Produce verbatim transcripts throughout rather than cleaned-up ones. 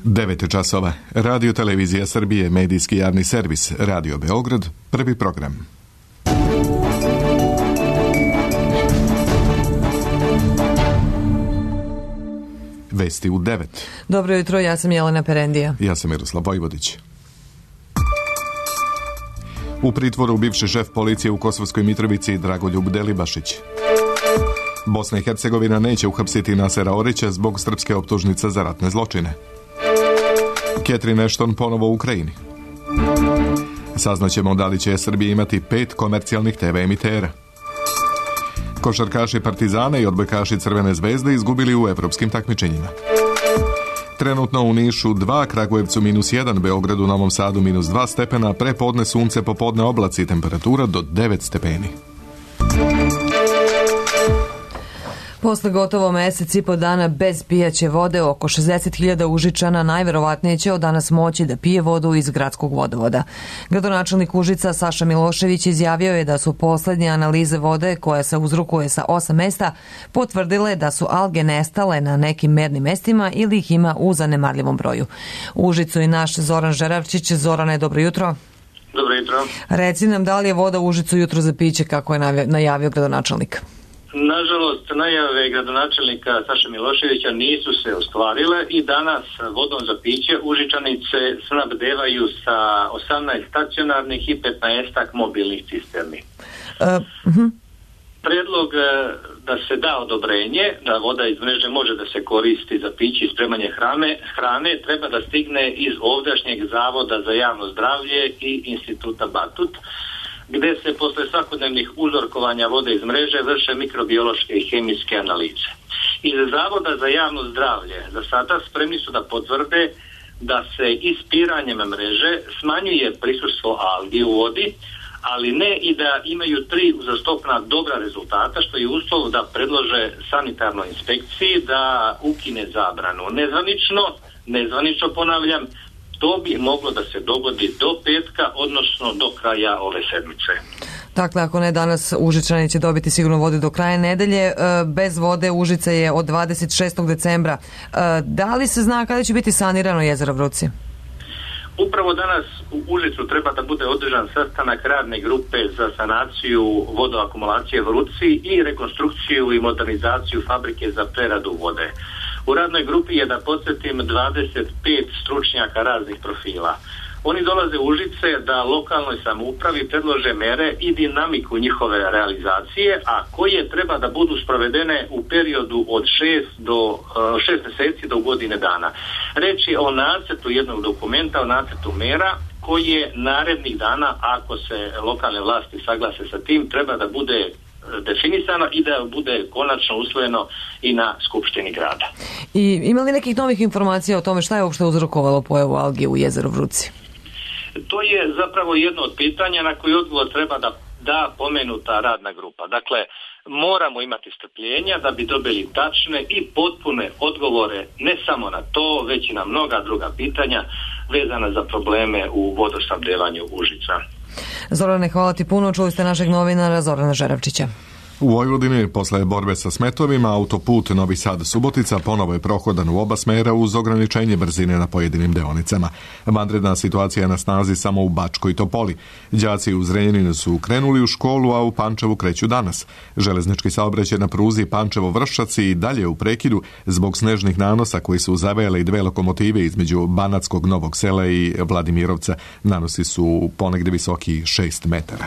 devet časova. Radio Televizija Srbije, medijski javni servis, Radio Beograd, prvi program. Vesti u devet. Dobro jutro, ja sam Jelena Perendija. Ja sam Miroslav Vojvodić. U pritvoru bivši šef policije u Kosovskoj Mitrovici Dragoljub Delibašić. Bosna i Hercegovina neće uhapsiti Nasera Orića zbog srpske optužnice za ratne zločine. Catherine Ashton ponovo u Ukrajini. Saznaćemo da li će Srbija imati pet komercijalnih te ve emitera. Košarkaši Partizana i odbojkaši Crvene zvezde izgubili u evropskim takmičenjima. Trenutno u Nišu dva, Kragujevcu minus jedan, Beogradu, Novom Sadu minus dva stepena, prepodne sunce, popodne oblaci, temperatura do devet stepeni. Posle gotovo mesec i po dana bez pijaće vode, oko šezdeset hiljada Užičana najverovatnije će od danas moći da pije vodu iz gradskog vodovoda. Gradonačelnik Užica Saša Milošević izjavio je da su poslednje analize vode, koja se uzrokuje sa osam mesta, potvrdile da su alge nestale na nekim mernim mestima ili ih ima u zanemarljivom broju. U Užicu i naš Zoran Žeravčić. Zorane, dobro jutro. Dobro jutro. Reci nam, da li je voda u Užicu jutro za piće, kako je najavio gradonačelnik? Nažalost, najave gradonačelnika Saša Miloševića nisu se ostvarile i danas vodom za piće Užičanice snabdevaju sa osamnaest stacionarnih i petnaest mobilnih cisterni. Uh, uh-huh. Predlog da se da odobrenje da voda iz mreže može da se koristi za piće i spremanje hrane, hrane treba da stigne iz ovdašnjeg Zavoda za javno zdravlje i Instituta Batut, gde se posle svakodnevnih uzorkovanja vode iz mreže vrše mikrobiološke i hemijske analize. Iz Zavoda za javno zdravlje za sada spremni su da potvrde da se ispiranjem mreže smanjuje prisustvo algi u vodi, ali ne i da imaju tri uzastopna dobra rezultata, što je uslov da predlože sanitarnoj inspekciji da ukine zabranu. Nezvanično, nezvanično ponavljam, to bi moglo da se dogodi do petka, odnosno do kraja ove sedmice. Dakle, ako ne danas, Užičani će dobiti sigurno vodu do kraja nedelje. Bez vode Užica je od dvadeset šestog decembra. Da li se zna kada će biti sanirano jezero Vruci? Upravo danas u Užicu treba da bude održan sastanak radne grupe za sanaciju vodoakumulacije Vruci i rekonstrukciju i modernizaciju fabrike za preradu vode. U radnoj grupi je, da podsjetim, dvadeset pet stručnjaka raznih profila. Oni dolaze u Užice da lokalnoj samoupravi predlože mere i dinamiku njihove realizacije, a koje treba da budu sprovedene u periodu od šest do šest meseci do godine dana. Reč je o nacrtu jednog dokumenta, o nacrtu mera koje narednih dana, ako se lokalne vlasti saglase sa tim, treba da bude definisano i da bude konačno usvojeno i na Skupštini grada. I ima li nekih novih informacija o tome šta je uopšte uzrokovalo pojavu algi u jezeru Vruci? To je zapravo jedno od pitanja na koji odgovor treba da da pomenuta radna grupa. Dakle, moramo imati strpljenja da bi dobili tačne i potpune odgovore ne samo na to, već i na mnoga druga pitanja vezana za probleme u vodosnabdevanju Užica. Zorane, hvala ti puno. Čuli ste našeg novinara Zorana Žeravčića. U Vojvodini, posle borbe sa smetovima, autoput Novi Sad-Subotica ponovo je prohodan u oba smera uz ograničenje brzine na pojedinim deonicama. Vanredna situacija je na snazi samo u Bačkoj Topoli. Đaci u Zrenjaninu su krenuli u školu, a u Pančevu kreću danas. Železnički saobraćaj na pruzi Pančevo-Vršac i dalje u prekidu zbog snežnih nanosa koji su zavejale dve lokomotive između Banatskog Novog Sela i Vladimirovca. Nanosi su ponegde visoki šest metara.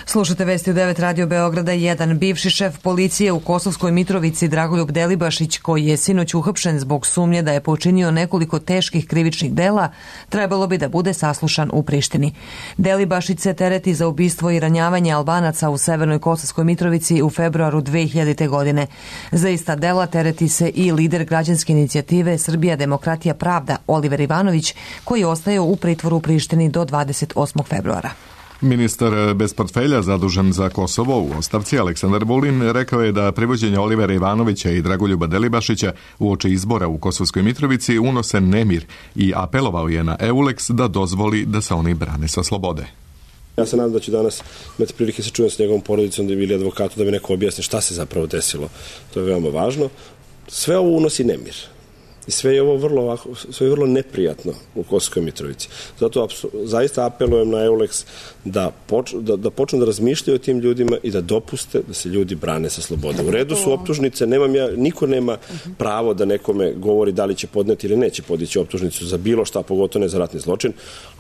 Slušate vesti u devet Radio Beograda jedan. Bivši šef policije u Kosovskoj Mitrovici Dragoljub Delibašić, koji je sinoć uhapšen zbog sumnje da je počinio nekoliko teških krivičnih dela, trebalo bi da bude saslušan u Prištini. Delibašić se tereti za ubistvo i ranjavanje Albanaca u Severnoj Kosovskoj Mitrovici u februaru dve hiljadite. godine. Za ista dela tereti se i lider građanske inicijative Srbija demokratija pravda Oliver Ivanović, koji ostaje u pritvoru u Prištini do dvadeset osmog februara. Ministar bez portfelja zadužen za Kosovo u ostavci Aleksandar Vulin rekao je da privođenje Olivera Ivanovića i Dragoljuba Delibašića uoči izbora u Kosovskoj Mitrovici unose nemir i apelovao je na Eulex da dozvoli da se oni brane sa slobode. Ja se nadam da ću danas imati prilike se čujem s njegovom porodicom, da je bili advokatu, da mi neko objasni šta se zapravo desilo. To je veoma važno. Sve ovo unosi nemir. I sve je ovo vrlo, ovako, sve je vrlo neprijatno u Kosovskoj Mitrovici. Zato zaista apelujem na Eulex da, poč, da, da počnu da razmišljaju o tim ljudima i da dopuste da se ljudi brane sa slobode. U redu su optužnice, nemam ja, niko nema pravo da nekome govori da li će podneti ili neće podići optužnicu za bilo šta, pogotovo ne za ratni zločin,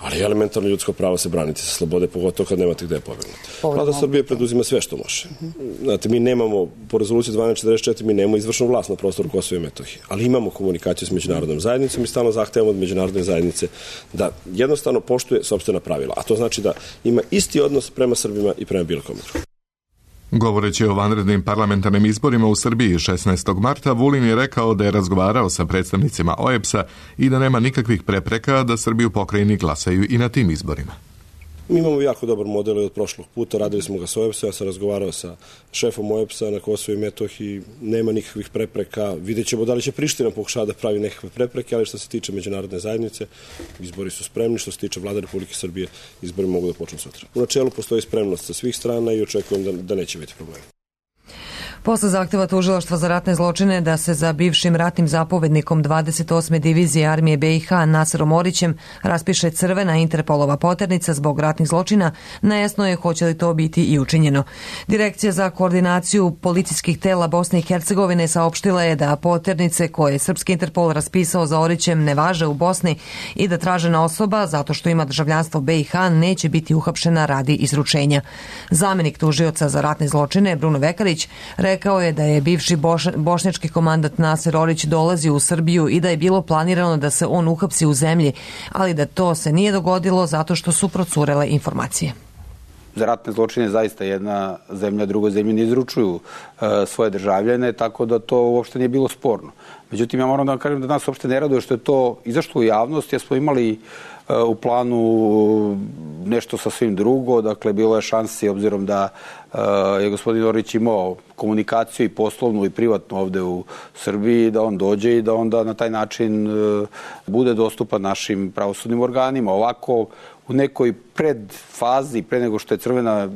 ali elementarno ljudsko pravo se braniti sa slobode, pogotovo kad nemate gde pobegnuti. Vlada Srbije preduzima sve što može. Znate, mi nemamo, po rezoluciji dvanaest četrdeset četiri, mi nemamo izvršnu vlast na prostoru Kosova i Metohije, ali imamo komunikaciju s međunarodnom zajednicom i stalno zahtevamo od međunarodne zajednice da jednostavno poštuje sopstvena pravila. A to znači da ima isti odnos prema Srbima i prema bilo kome drugom. Govoreći o vanrednim parlamentarnim izborima u Srbiji šesnaestog marta, Vulin je rekao da je razgovarao sa predstavnicima O E B S-a i da nema nikakvih prepreka da Srbi u pokrajini glasaju i na tim izborima. Mi imamo jako dobar model od prošlog puta, radili smo ga sa O E B S-a, ja sam razgovarao sa šefom O E B S-a na Kosovu i Metohiji, nema nikakvih prepreka, vidjet ćemo da li će Priština pokušati da pravi nekakve prepreke, ali što se tiče međunarodne zajednice, izbori su spremni, što se tiče Vlade Republike Srbije, izbori mogu da počnu sutra. U načelu postoji spremnost sa svih strana i očekujem da, da neće biti problema. Posle zahteva tužilaštva za ratne zločine da se za bivšim ratnim zapovednikom dvadeset osme divizije armije B i H Naserom Orićem raspiše crvena Interpolova poternica zbog ratnih zločina, nejasno je hoće li to biti i učinjeno. Direkcija za koordinaciju policijskih tela Bosne i Hercegovine saopštila je da poternice koje je srpski Interpol raspisao za Orićem ne važe u Bosni i da tražena osoba, zato što ima državljanstvo B i H, neće biti uhapšena radi izručenja. Zamenik tužioca za ratne zločine Bruno Vekarić rekao je da je bivši boš, bošnjački komandant Naser Orić dolazio u Srbiju i da je bilo planirano da se on uhapsi u zemlji, ali da to se nije dogodilo zato što su procurele informacije. Za ratne zločine zaista jedna zemlja drugoj zemlji ne izručuju e, svoje državljane, tako da to uopšte nije bilo sporno. Međutim, ja moram da vam kažem da nas uopšte ne raduje što je to izašlo u javnost, jer smo imali e, u planu nešto sasvim drugo, dakle bilo je šansi obzirom da e, je gospodin Orić imao komunikaciju i poslovnu i privatnu ovde u Srbiji, da on dođe i da onda na taj način e, bude dostupan našim pravosudnim organima. Ovako, u nekoj predfazi, pre nego što je crvena e,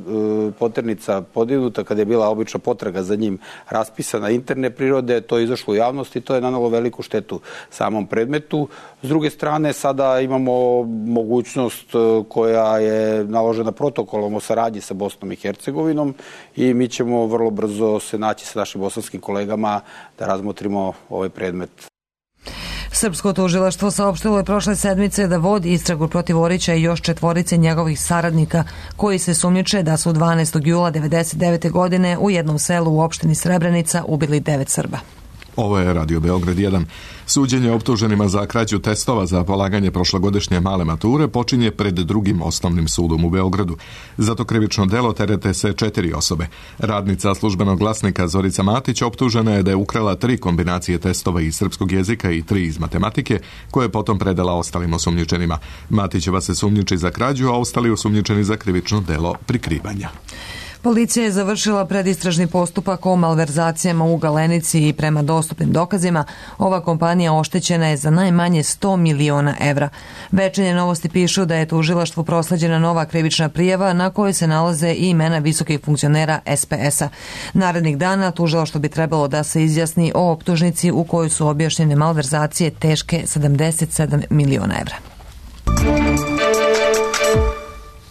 poternica podignuta, kada je bila obična potraga za njim raspisana interne prirode, to je izašlo u javnost i to je nanalo veliku štetu samom predmetu. S druge strane, sada imamo mogućnost e, koja je naložena protokolom o saradnji sa Bosnom i Hercegovinom i mi ćemo vrlo brzo se naći sa našim bosanskim kolegama da razmotrimo ovaj predmet. Srpsko tužilaštvo saopštilo je prošle sedmice da vodi istragu protiv Orića i još četvorice njegovih saradnika koji se sumnjiče da su dvanaestog jula devedeset devete godine u jednom selu u opštini Srebrenica ubili devet Srba. Ovo je Radio Beograd jedan. Suđenje optuženima za krađu testova za polaganje prošlogodišnje male mature počinje pred drugim osnovnim sudom u Beogradu. Za to krivično delo terete se četiri osobe. Radnica službenog glasnika Zorica Matić optužena je da je ukrala tri kombinacije testova iz srpskog jezika i tri iz matematike, koje je potom predala ostalim osumnjičenima. Matićeva se sumnjiči za krađu, a ostali osumnjičeni za krivično delo prikrivanja. Policija je završila predistražni postupak o malverzacijama u Galenici i prema dostupnim dokazima ova kompanija oštećena je za najmanje sto miliona evra. Večernje novosti pišu da je tužilaštvu prosleđena nova krivična prijava na kojoj se nalaze i imena visokih funkcionera S P S-a. Narednih dana tužilaštvo bi trebalo da se izjasni o optužnici u kojoj su objašnjene malverzacije teške sedamdeset sedam miliona evra.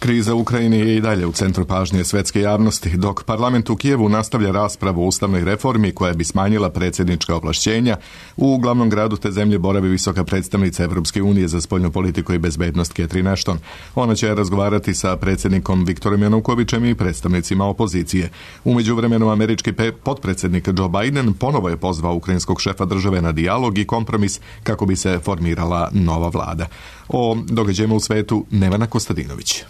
Kriza u Ukrajini je i dalje u centru pažnje svetske javnosti, dok parlament u Kijevu nastavlja raspravu o ustavnoj reformi koja bi smanjila predsjednička ovlašćenja. U glavnom gradu te zemlje boravi visoka predstavnica Evropske unije za spoljnu politiku i bezbednost Catherine Ashton. Ona će razgovarati sa predsjednikom Viktorom Janukovićem i predstavnicima opozicije. U međuvremenu američki potpredsjednik Joe Biden ponovo je pozvao ukrajinskog šefa države na dijalog i kompromis kako bi se formirala nova vlada. O događajima u svetu Nevena Kostadinović.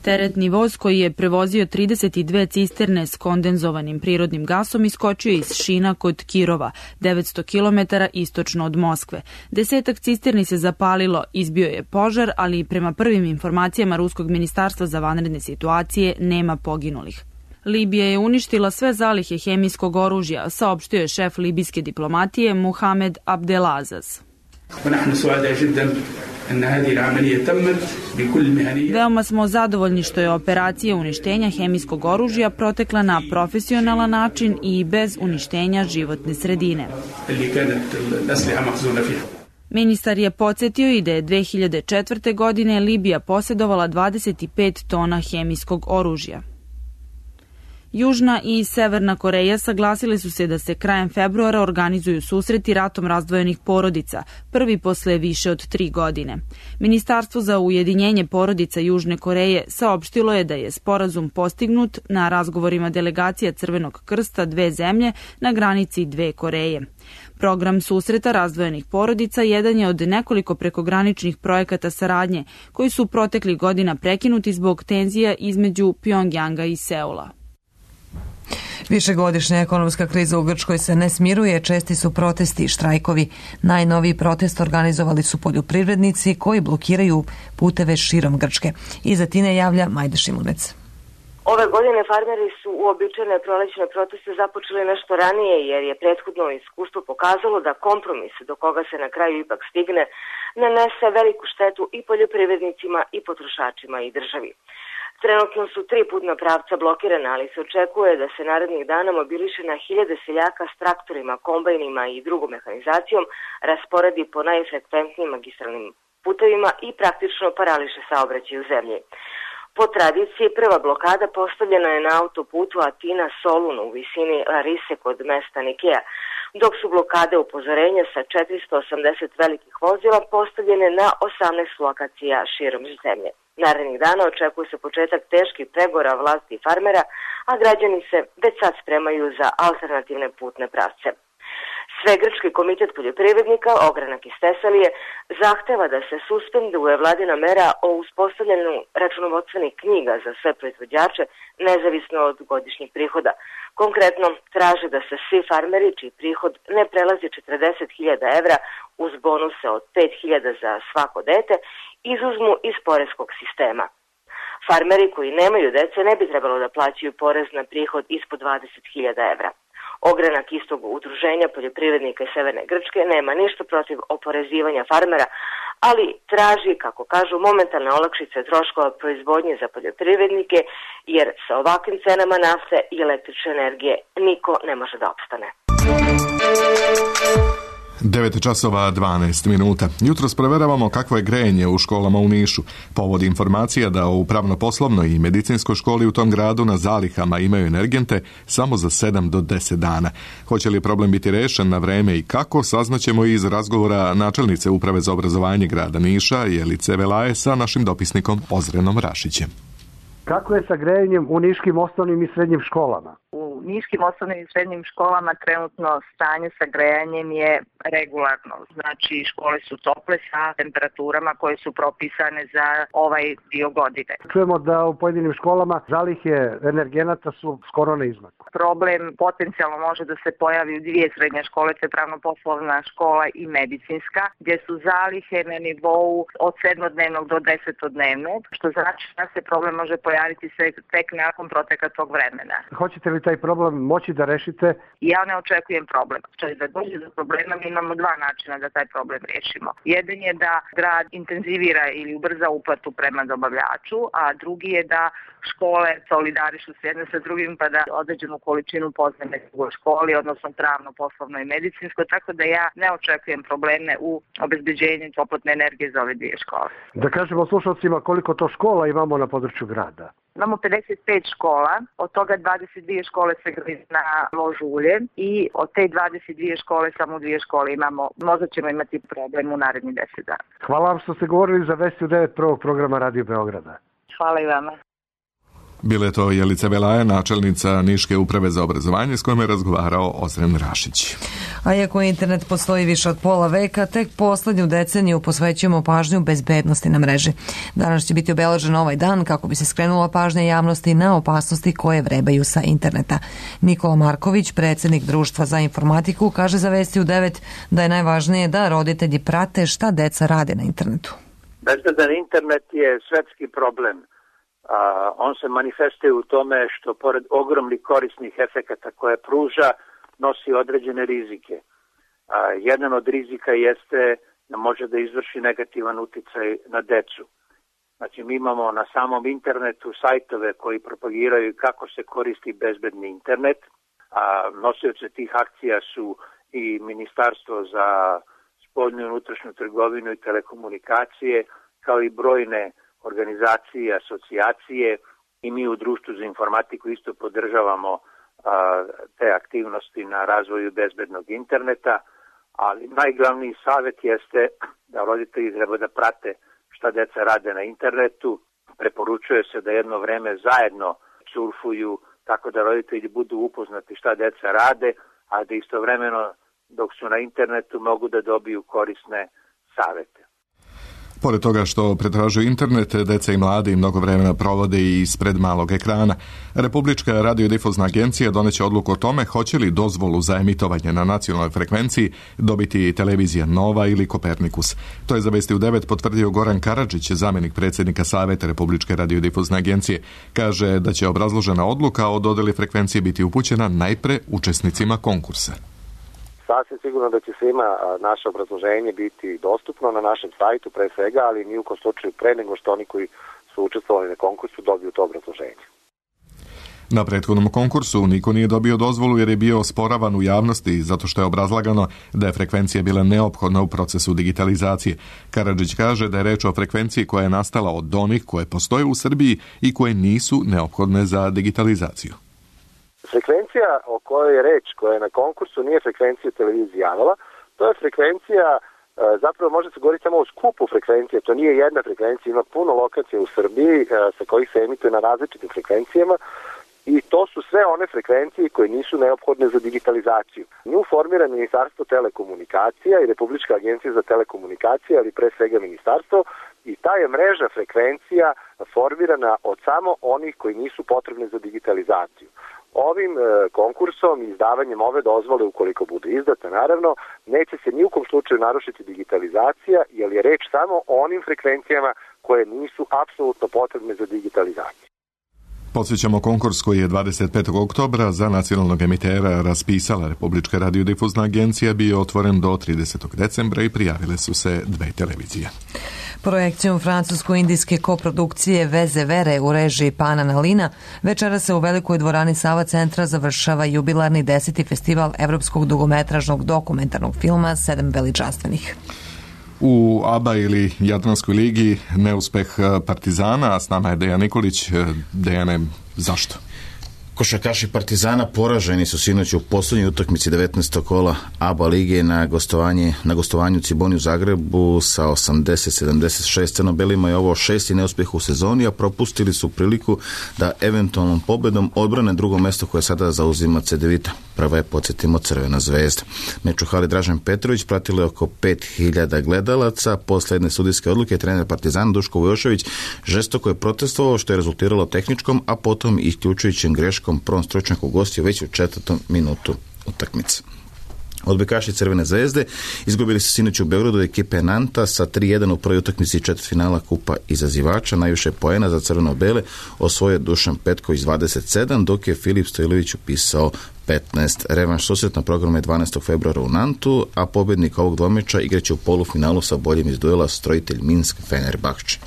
Teretni voz koji je prevozio trideset dve cisterne s kondenzovanim prirodnim gasom iskočio iz šina kod Kirova, devetsto kilometara istočno od Moskve. Desetak cisterni se zapalilo, izbio je požar, ali prema prvim informacijama Ruskog ministarstva za vanredne situacije nema poginulih. Libija je uništila sve zalihe hemijskog oružja, saopštio je šef libijske diplomatije Muhamed Abdelazaz. Veoma smo zadovoljni što je operacija uništenja hemijskog oružja protekla na profesionalan način i bez uništenja životne sredine. Ministar je podsjetio i da je dve hiljade četvrte. godine Libija posjedovala dvadeset pet tona hemijskog oružja. Južna i Severna Koreja saglasili su se da se krajem februara organizuju susreti ratom razdvojenih porodica, prvi posle više od tri godine. Ministarstvo za ujedinjenje porodica Južne Koreje saopštilo je da je sporazum postignut na razgovorima delegacija Crvenog krsta dve zemlje na granici dve Koreje. Program susreta razdvojenih porodica jedan je od nekoliko prekograničnih projekata saradnje koji su proteklih godina prekinuti zbog tenzija između Pjongjanga i Seula. Višegodišnja ekonomska kriza u Grčkoj se ne smiruje, česti su protesti i štrajkovi. Najnoviji protest organizovali su poljoprivrednici koji blokiraju puteve širom Grčke. Iz Atine javlja Majda Šimunec. Ove godine farmeri su uobičajene prolećne proteste započeli nešto ranije jer je prethodno iskustvo pokazalo da kompromis do koga se na kraju ipak stigne nanese veliku štetu i poljoprivrednicima i potrošačima i državi. Trenutno su tri putna pravca blokirana, ali se očekuje da se narednih dana mobiliše na hiljade seljaka s traktorima, kombajnima i drugom mehanizacijom, rasporedi po najfrekventnijim magistralnim putevima i praktično parališe saobraćaj u zemlji. Po tradiciji, prva blokada postavljena je na autoputu Atina-Solun u visini Larise kod mesta Nikea, dok su blokade upozorenja sa četiristo osamdeset velikih vozila postavljene na osamnaest lokacija širom zemlje. Narednih dana očekuje se početak teških pregovora vlasti i farmera, a građani se već sad spremaju za alternativne putne pravce. Svegrčki komitet poljoprivrednika, ogranak iz Tesalije, zahteva da se suspenduje vladina mera o uspostavljanju računovodstvenih knjiga za sve proizvođače, nezavisno od godišnjih prihoda. Konkretno, traže da se svi farmeri, čiji prihod ne prelazi četrdeset hiljada evra uz bonuse od pet hiljada za svako dete, izuzmu iz poreskog sistema. Farmeri koji nemaju dece ne bi trebalo da plaćaju porez na prihod ispod dvadeset hiljada evra. Ogranak istog udruženja poljoprivrednika iz Severne Grčke nema ništa protiv oporezivanja farmera, ali traži, kako kažu, momentalne olakšice troškova proizvodnje za poljoprivrednike, jer sa ovakvim cenama nafte i električne energije niko ne može da opstane. devet časova dvanaest minuta. Jutros proveravamo kakvo je grejanje u školama u Nišu. Povod informacija da u pravno-poslovnoj i medicinskoj školi u tom gradu na zalihama imaju energente samo za sedam do deset dana. Hoće li problem biti rešen na vreme i kako, saznaćemo iz razgovora načelnice Uprave za obrazovanje grada Niša, Jelice Velaje, sa našim dopisnikom Ozrenom Rašićem. Kako je sa grejanjem u niškim osnovnim i srednjim školama? U niškim osnovnim i srednjim školama trenutno stanje sa grejanjem je regularno. Znači, škole su tople sa temperaturama koje su propisane za ovaj dio godine. Čujemo da u pojedinim školama zalihe energenata su skoro na izmaku. Problem potencijalno može da se pojavi u dvije srednje škole, to je pravno-poslovna škola i medicinska, gdje su zalihe na nivou od sedmodnevnog do desetodnevnog, što znači da se problem može pojaviti se tek nakon proteka tog vremena. Hoćete li taj problem moći da rešite? Ja ne očekujem problem. Če da dođe do problema, mi imamo dva načina da taj problem rešimo. Jedan je da grad intenzivira ili ubrza uplatu prema dobavljaču, a drugi je da škole solidarišu s jedne sa drugim pa da određenu količinu pozajme u školi, odnosno pravno, poslovno i medicinsko, tako da ja ne očekujem probleme u obezbeđenju toplotne energije za ove dvije škole. Da kažemo slušalcima koliko to škola imamo na području grada. Imamo pedeset pet škola, od toga dvadeset dvije škole se gradi na lož ulje i od te dvadeset dvije škole samo dvije škole imamo, možda ćemo imati problem u narednih deset dana. Hvala vam što ste govorili za Vesti u devet prvog programa Radio Beograda. Hvala i vama. Bila je to Jelica Velaja, načelnica Niške uprave za obrazovanje, s kojom je razgovarao Ozren Rašić. A iako internet postoji više od pola veka, tek poslednju deceniju posvećujemo pažnju bezbednosti na mreži. Danas će biti obeležen ovaj dan kako bi se skrenula pažnja javnosti na opasnosti koje vrebaju sa interneta. Nikola Marković, predsjednik Društva za informatiku, kaže za Vesti u devet da je najvažnije da roditelji prate šta deca rade na internetu. Bezbedan internet je svetski problem. Uh, on se manifestuje u tome što pored ogromnih korisnih efekata koje pruža, nosi određene rizike. Uh, jedan od rizika jeste može da izvrši negativan uticaj na decu. Znači, mi imamo na samom internetu sajtove koji propagiraju kako se koristi bezbedni internet, a nosioci tih akcija su i Ministarstvo za spoljnu i unutrašnju trgovinu i telekomunikacije, kao i brojne organizacije, asocijacije, i mi u Društvu za informatiku isto podržavamo a, te aktivnosti na razvoju bezbednog interneta, ali najglavniji savjet jeste da roditelji treba da prate šta deca rade na internetu. Preporučuje se da jedno vreme zajedno surfuju, tako da roditelji budu upoznati šta deca rade, a da istovremeno dok su na internetu mogu da dobiju korisne savete. Pored toga što pretražuju internet, deca i mladi mnogo vremena provode i ispred malog ekrana. Republička radiodifuzna agencija doneće odluku o tome hoće li dozvolu za emitovanje na nacionalnoj frekvenciji dobiti televizija Nova ili Kopernikus. To je za Vesti u devet potvrdio Goran Karadžić, zamjenik predsjednika Saveta Republičke radiodifuzne agencije. Kaže da će obrazložena odluka o dodeli frekvencije biti upućena najpre učesnicima konkursa. Sasvim sigurno da će svima naše obrazloženje biti dostupno na našem sajtu pre svega, ali ni u kom slučaju pre nego što oni koji su učestvovali na konkursu dobiju to obrazloženje. Na prethodnom konkursu niko nije dobio dozvolu jer je bio osporavan u javnosti zato što je obrazlagano da je frekvencija bila neophodna u procesu digitalizacije. Karadžić kaže da je reč o frekvenciji koja je nastala od onih koje postoje u Srbiji i koje nisu neophodne za digitalizaciju. Frekvencija o kojoj je reč, koja je na konkursu, nije frekvencija televizije Janova. To je frekvencija, zapravo može se govoriti samo o skupu frekvencije, to nije jedna frekvencija, ima puno lokacija u Srbiji sa kojih se emituje na različitim frekvencijama i to su sve one frekvencije koje nisu neophodne za digitalizaciju. Nju formira Ministarstvo telekomunikacija i Republička agencija za telekomunikacije, ali pre svega ministarstvo, i ta je mreža frekvencija formirana od samo onih koji nisu potrebni za digitalizaciju. Ovim e, konkursom i izdavanjem ove dozvole, ukoliko bude izdata, naravno, neće se ni u kom slučaju narušiti digitalizacija, jer je reč samo o onim frekvencijama koje nisu apsolutno potrebne za digitalizaciju. Podsjećamo, konkurs koji je dvadeset petog oktobra za nacionalnog emitera raspisala Republička radiodifuzna agencija bio otvoren do tridesetog decembra i prijavile su se dve televizije. Projekcijom francusko-indijske koprodukcije Veze Vere u režiji Pana Nalina večera se u velikoj dvorani Sava centra završava jubilarni deseti festival evropskog dugometražnog dokumentarnog filma Sedam veličanstvenih. U ABA ili Jadranskoj ligi neuspeh Partizana, a s nama je Dejan Nikolić. Dejane, zašto? Košarkaši Partizana poraženi su sinoć u posljednjoj utakmici devetnaestog kola ABA lige na gostovanje na gostovanju Ciboni u Zagrebu sa osamdeset sedamdeset šest. Crno-belima je ovo šesti neuspjeh u sezoni, a propustili su priliku da eventualnom pobedom odbrane drugo mjesto koje sada zauzima Cedevita. Prva je, podsjetimo, Crvena zvezda. Meč u hali Dražen Petrović pratilo je oko pet hiljada gledalaca. Posle jedne sudijske odluke trener Partizana Duško Vujošević žestoko je protestovao, što je rezultiralo tehničkom, a potom isključujućim greškom prvom stručnjaku gostio već u četvrtom minutu utakmice. Odbojkaši Crvene zvezde izgubili su sinoć u Beogradu od ekipe Nanta sa tri jedan u prvoj utakmici četvrtfinala Kupa izazivača. Najviše poena za crveno-bele osvojio Dušan Petković dvadeset sedam, dok je Filip Stojlović upisao petnaest. Revanš susret na programu je dvanaestog februara u Nantu, a pobjednik ovog dvomeča igraće u polufinalu sa boljim iz duela Strojitelj Minsk Fenerbahče.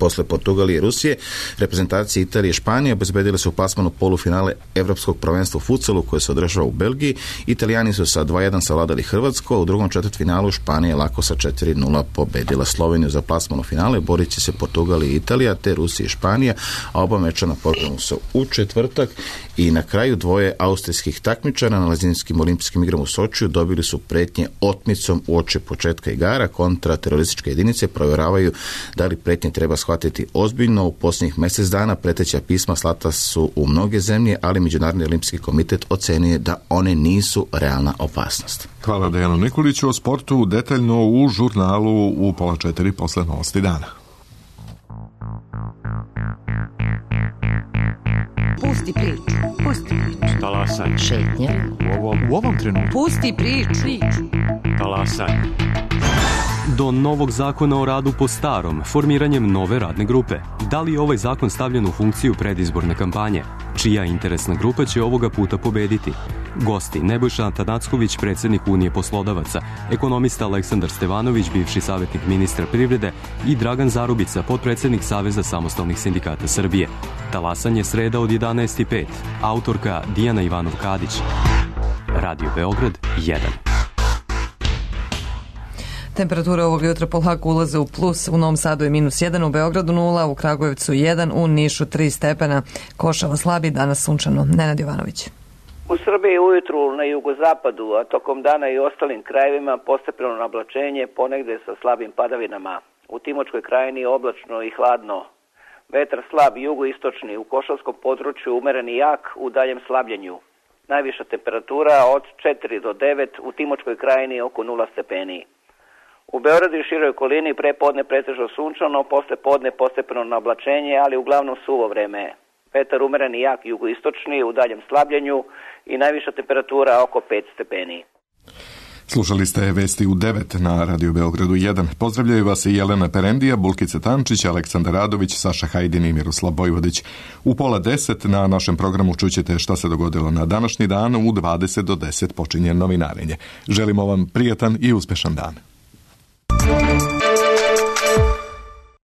Posle Portugalije i Rusije, reprezentacije Italije i Španije obezbedile su plasman u polufinale Evropskog prvenstva u futsalu koje se održava u Belgiji. Italijani su sa dva jedan savladali Hrvatsku, a u drugom četvrtfinalu Španija lako sa četiri nula pobedila Sloveniju. Za plasman u finale borit će se Portugal i Italija, te Rusija i Španija, a oba meča na programu su u četvrtak. I na kraju dvoje austrijskih takmičara na Lazinskim olimpijskim igrama u Sočiju dobili su pretnje otmicom uoči početka igara. Kontraterorističke jedinice provjeravaju da li pretnje treba shvatiti ozbiljno. U posljednjih mjesec dana preteća pisma slata su u mnoge zemlje, ali Međunarodni olimpijski komitet ocenio da one nisu realna opasnost. Hvala Dejanu Nikoliću. O sportu detaljno u žurnalu u pola četiri posle novosti dana. Pusti priču. Pusti priču. Talasaj. Šetnja. U ovom, u ovom trenutku. Pusti priču. priču. Talasaj. Do novog zakona o radu po starom, formiranjem nove radne grupe. Da li je ovaj zakon stavljen u funkciju predizborne kampanje? Čija interesna grupa će ovoga puta pobediti? Gosti Nebojša Atanacković, predsjednik Unije poslodavaca, ekonomista Aleksandar Stevanović, bivši savjetnik ministra privrede i Dragan Zarubica, potpredsjednik Saveza samostalnih sindikata Srbije. Talasanje sreda od jedanaest i pet. Autorka Dijana Ivanov-Kadić. Radio Beograd jedan. Temperatura ovog jutra polako ulaze u plus, u Novom Sadu je minus jedan, u Beogradu nula, u Kragujevcu jedan, u Nišu tri stepena. Košava slabi, danas sunčano. Nenad Jovanović. U Srbiji ujutru na jugozapadu, a tokom dana i ostalim krajevima postepeno nablačenje, ponegde sa slabim padavinama. U Timočkoj krajini oblačno i hladno. Vetar slab jugoistočni, u Košavskom području umeren i jak, u daljem slabljenju. Najviša temperatura od četiri do devet, u Timočkoj krajini oko nula stepeni. U Beogradu i široj okolini pre podne pretežno sunčano, posle podne postepeno nablačenje, ali uglavnom suvo vreme. Vetar umeren i jak jugoistočni, u daljem slabljenju i najviša temperatura oko pet stepeni. Slušali ste vesti u devet na Radio Beogradu jedan. Pozdravljaju vas i Jelena Perendija, Bulkica Tančić, Aleksandar Radović, Saša Hajdin i Miroslav Bojvodić. U pola deset na našem programu čućete šta se dogodilo na današnji dan. U dvadeset do deset počinje novinarenje. Želimo vam prijatan i uspešan dan.